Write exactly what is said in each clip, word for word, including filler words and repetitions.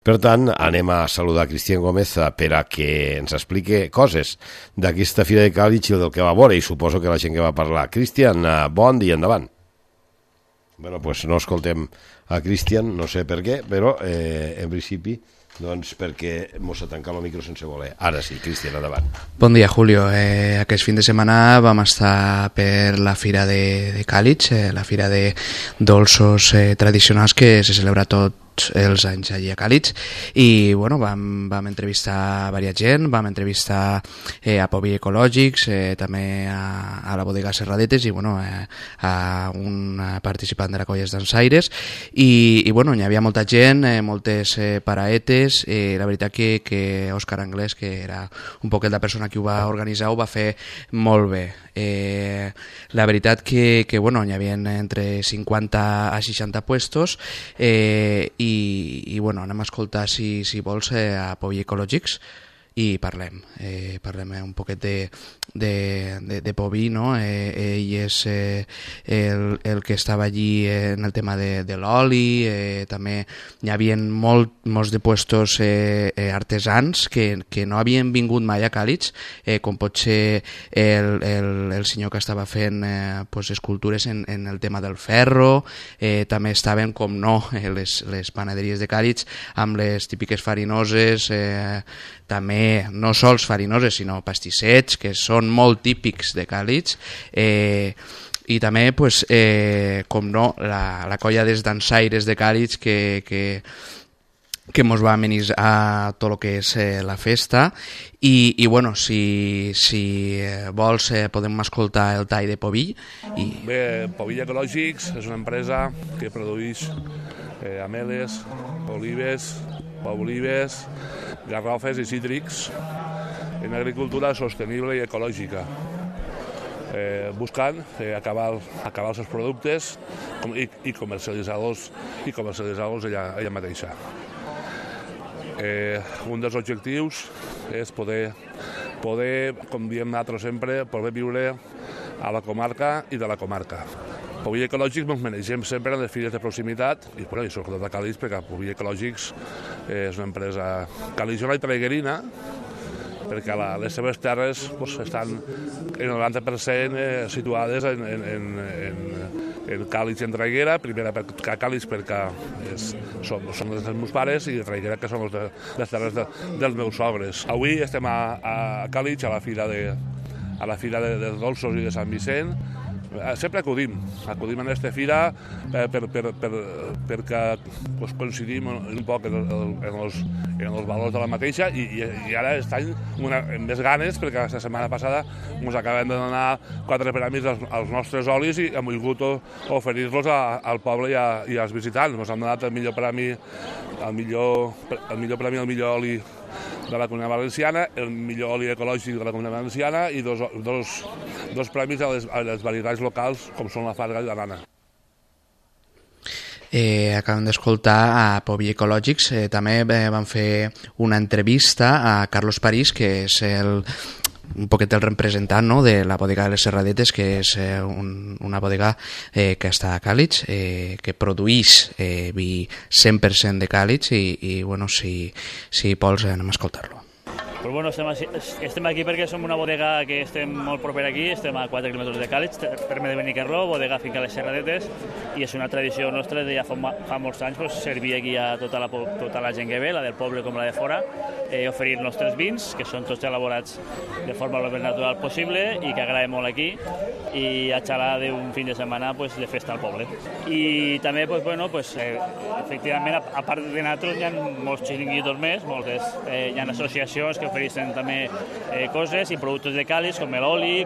Per tant, anem a saludar Cristian Gómez per a que ens expliqui coses d'aquesta Fira de Càlig i del que va veure, i suposo que la gent que va parlar. Cristian, bon dia, endavant. Bé, doncs no escoltem a Cristian, no sé per què, però eh, en principi, doncs perquè mos ha tancat el micro sense voler. Ara sí, Cristian, endavant. Bon dia, Julio. Eh, aquest fin de setmana vam estar per la Fira de, de Càlig, eh, la Fira de dolços eh, tradicionals que se celebra tot els anys allí a Càlig, i bueno, vam, vam entrevistar a diversa gent, vam entrevistar eh, a Pobi Ecològics, eh, també a, a la bodega Serradetes i bueno, eh, a un participant de la Colles Dansaires, i, i bueno, hi havia molta gent, eh, moltes eh, paraetes, i la veritat que, que Òscar Anglès, que era un poquet la persona que ho va organitzar, ho va fer molt bé. Eh, la veritat que, que bueno, hi havia entre cinquanta a seixanta puestos, eh, i, i bueno, anem a escoltar, si, si vols, eh, a Pobi Ecològics i parlem, eh, parlem un poquet de, de, de, de Pobi, no? Eh, ell és eh, el, el que estava allí eh, en el tema de, de l'oli, eh, també hi havia molt, molts de puestos eh, eh, artesans que, que no havien vingut mai a Càlig, eh, com pot ser el, el, el senyor que estava fent eh, pues, escultures en, en el tema del ferro, eh, també estaven, com no, les, les panaderies de Càlig amb les típiques farinoses, eh, també no sols farinoses sinó pastissets, que són molt típics de Càlig, eh, i també, pues, eh, com no, la, la colla dels dansaires de Càlig que, que, que mos va amenitzar a tot el que és eh, la festa, i, i bueno, si, si vols eh, podem escoltar el tall de Pobi. I... Bé, Pobi Ecològics és una empresa que produeix eh, ameles, olives, olives, garrofes i cítrics en agricultura sostenible i ecològica, eh, buscant eh, acabar, acabar els seus productes i, i comercialitzar-los i comercialitzar-los ella, ella mateixa. Eh, un dels objectius és poder, poder, com diem nosaltres sempre, poder viure a la comarca i de la comarca. Pobi Ecològics ens manegem sempre en les fires de proximitat i, bueno, i sobretot a Càlig, perquè Pobi Ecològics eh, és una empresa caligiona i traiguerina, perquè la, les seves terres pues, estan en el noranta per cent eh, situades en, en, en, en Càlig i en Traiguera, primera per Càlig perquè és, són, són les dels meus pares, i de Traiguera, que són les, les terres de, dels meus sogres. Avui estem a, a Càlig, a la fira de, a la fira de, de dolços i de Sant Vicent. Sempre acudim, acudim a aquesta fira eh, per, per, per, perquè pues, coincidim un poc en, el, en, els, en els valors de la mateixa, i, i, i ara estan una, amb més ganes, perquè la setmana passada ens acabem de donar quatre premis als, als nostres olis i hem volgut oferir-los al poble i, a, i als visitants. Ens han donat el millor premi, el millor, el millor premi al millor oli de la Comunitat Valenciana, el millor oli ecològic de la Comunitat Valenciana i dos, dos, dos premis a les, a les varietats locals, com són la farga i la nana. Eh, acabem d'escoltar a Pobi Ecològics, eh, també eh, van fer una entrevista a Carlos París, que és el un poquet el representant, no?, de la bodega de les Serradetes, que és eh, un, una bodega eh, que està a Càlig, eh, que produeix eh, vi cent per cent de Càlig, i, i bueno, si, si vols anem a escoltar-lo. Pues bueno, estem, estem aquí perquè som una bodega que estem molt proper aquí, estem a quatre quilòmetres de Càlig, terme de Benicarló, bodega finca Les Serradetes, i és una tradició nostra de ja fa, fa molts anys pues, servir aquí a tota la, tota la gent que ve, la del poble com la de fora, eh, oferir els nostres vins, que són tots elaborats de forma el més natural possible i que agraden molt aquí, i a xalar d'un fin de setmana pues, de festa al poble. I també, pues, bueno, pues, eh, efectivament, a, a part de nosaltres, hi ha molts xiringuitos més, moltes, eh, hi ha associacions que ofereixen també eh, coses i productes de Càlig, com l'oli,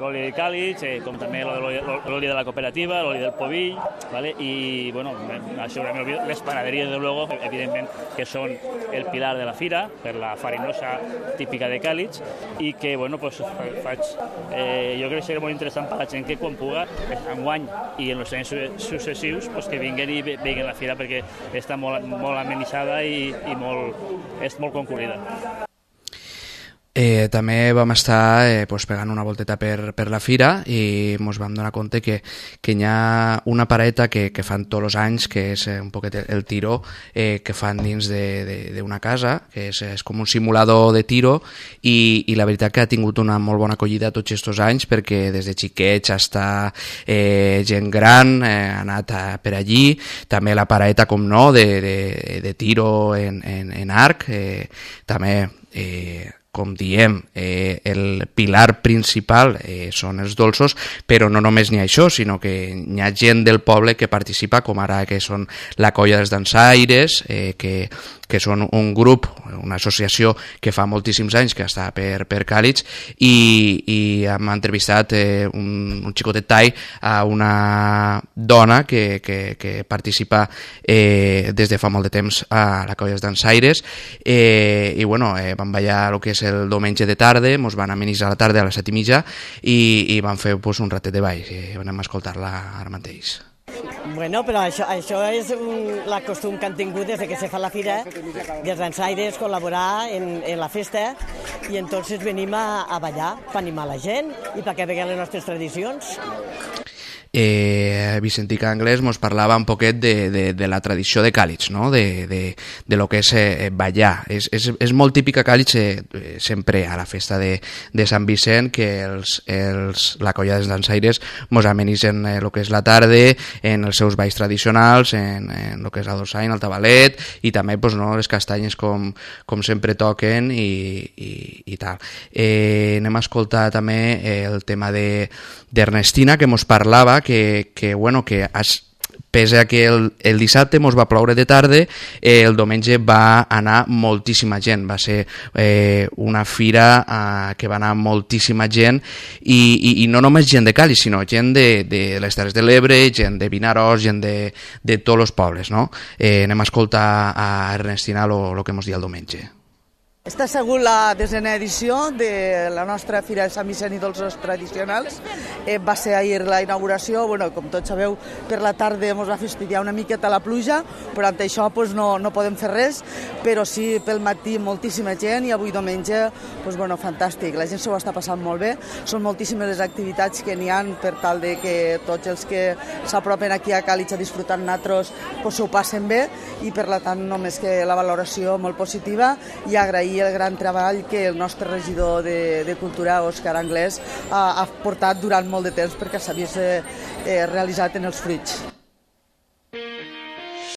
l'oli de Càlig, eh, com també l'oli de la cooperativa, l'oli del Pobill, ¿vale? I, bueno, això les panaderies, de luego, evidentment, que són el pilar de la fira, per la farinosa típica de Càlig, i que, bueno, pues, faig, eh, jo crec que serà molt interessant per la gent que quan puga, enguany i en els anys successius, pues, que vinguen i veguen la fira, perquè està molt, molt amenitzada i, i molt, és molt concurrida. Eh, també vam estar eh, pues, pegant una volteta per, per la fira i ens vam donar compte que, que hi ha una pareta que, que fan tots els anys, que és un poquet el tiro eh, que fan dins d'una casa, que és, és com un simulador de tiro i, i la veritat que ha tingut una molt bona acollida tots aquests anys, perquè des de xiquets fins a eh, gent gran eh, ha anat a, per allí. També la pareta, com no, de, de, de tiro en, en, en arc, eh, també eh, com diem, eh, el pilar principal eh, són els dolços, però no només n'hi ha això, sinó que hi ha gent del poble que participa, com ara que són la Colla dels Dansaires, eh, que, que són un grup, una associació que fa moltíssims anys que està per, per Càlig, i, i hem entrevistat eh, un, un xicotet tai a una dona que, que, que participa eh, des de fa molt de temps a la Colla dels Dansaires, eh, i bueno, eh, vam ballar el que és el diumenge de tarda, ens van amenitzar a la tarda a les set i mitja i, i van fer pues, un ratet de ball, i anem a escoltar-la ara mateix. Bueno, però això, això és un, la costum que han tingut des que se fa la fira dels dansaires, col·laborar en, en la festa, i entonces venim a, a ballar per animar la gent i perquè veguen les nostres tradicions. Eh, Vicentica Anglès ens parlava un poquet de, de, de la tradició de Càlig, no? de, de, de lo que és eh, ballar. És, és, és molt típic a Càlig eh, sempre a la festa de, de Sant Vicent que els, els, la Colla dels Dansaires ens amenitzen eh, el que és la tarda en els seus balls tradicionals, en, en el que és la dolçaina, el tabalet, i també pues, no, les castanyes com, com sempre toquen i, i, i tal. Eh, anem a escoltar també eh, el tema de d'Ernestina, que ens parlava que, que, bueno, que es, pese a que el, el dissabte ens va ploure de tarda, eh, el diumenge va anar moltíssima gent, va ser eh, una fira eh, que va anar moltíssima gent, i, i, i no només gent de Càlig, sinó gent de, de les Terres de l'Ebre, gent de Vinaròs, gent de, de tots els pobles, no? Eh, anem a escoltar a Ernestina el que ens diu el diumenge. Està segur la desena edició de la nostra Fira de Sant Vicent i Dolços Tradicionals. Eh, va ser ahir la inauguració, bueno, com tots sabeu, per la tarda ens va fastidiar una miqueta la pluja, però ante això pues, no, no podem fer res, però sí pel matí moltíssima gent, i avui diumenge, pues, bueno, fantàstic, la gent s'ho està passant molt bé, són moltíssimes les activitats que n'hi ha per tal de que tots els que s'apropen aquí a Càlig a disfrutar nosaltres pues, s'ho passen bé, i per tant només que la valoració molt positiva, i agrair el gran treball que el nostre regidor de, de Cultura, Òscar Anglès, ha, ha portat durant molt de temps perquè s'havia eh, realitzat en els fruits.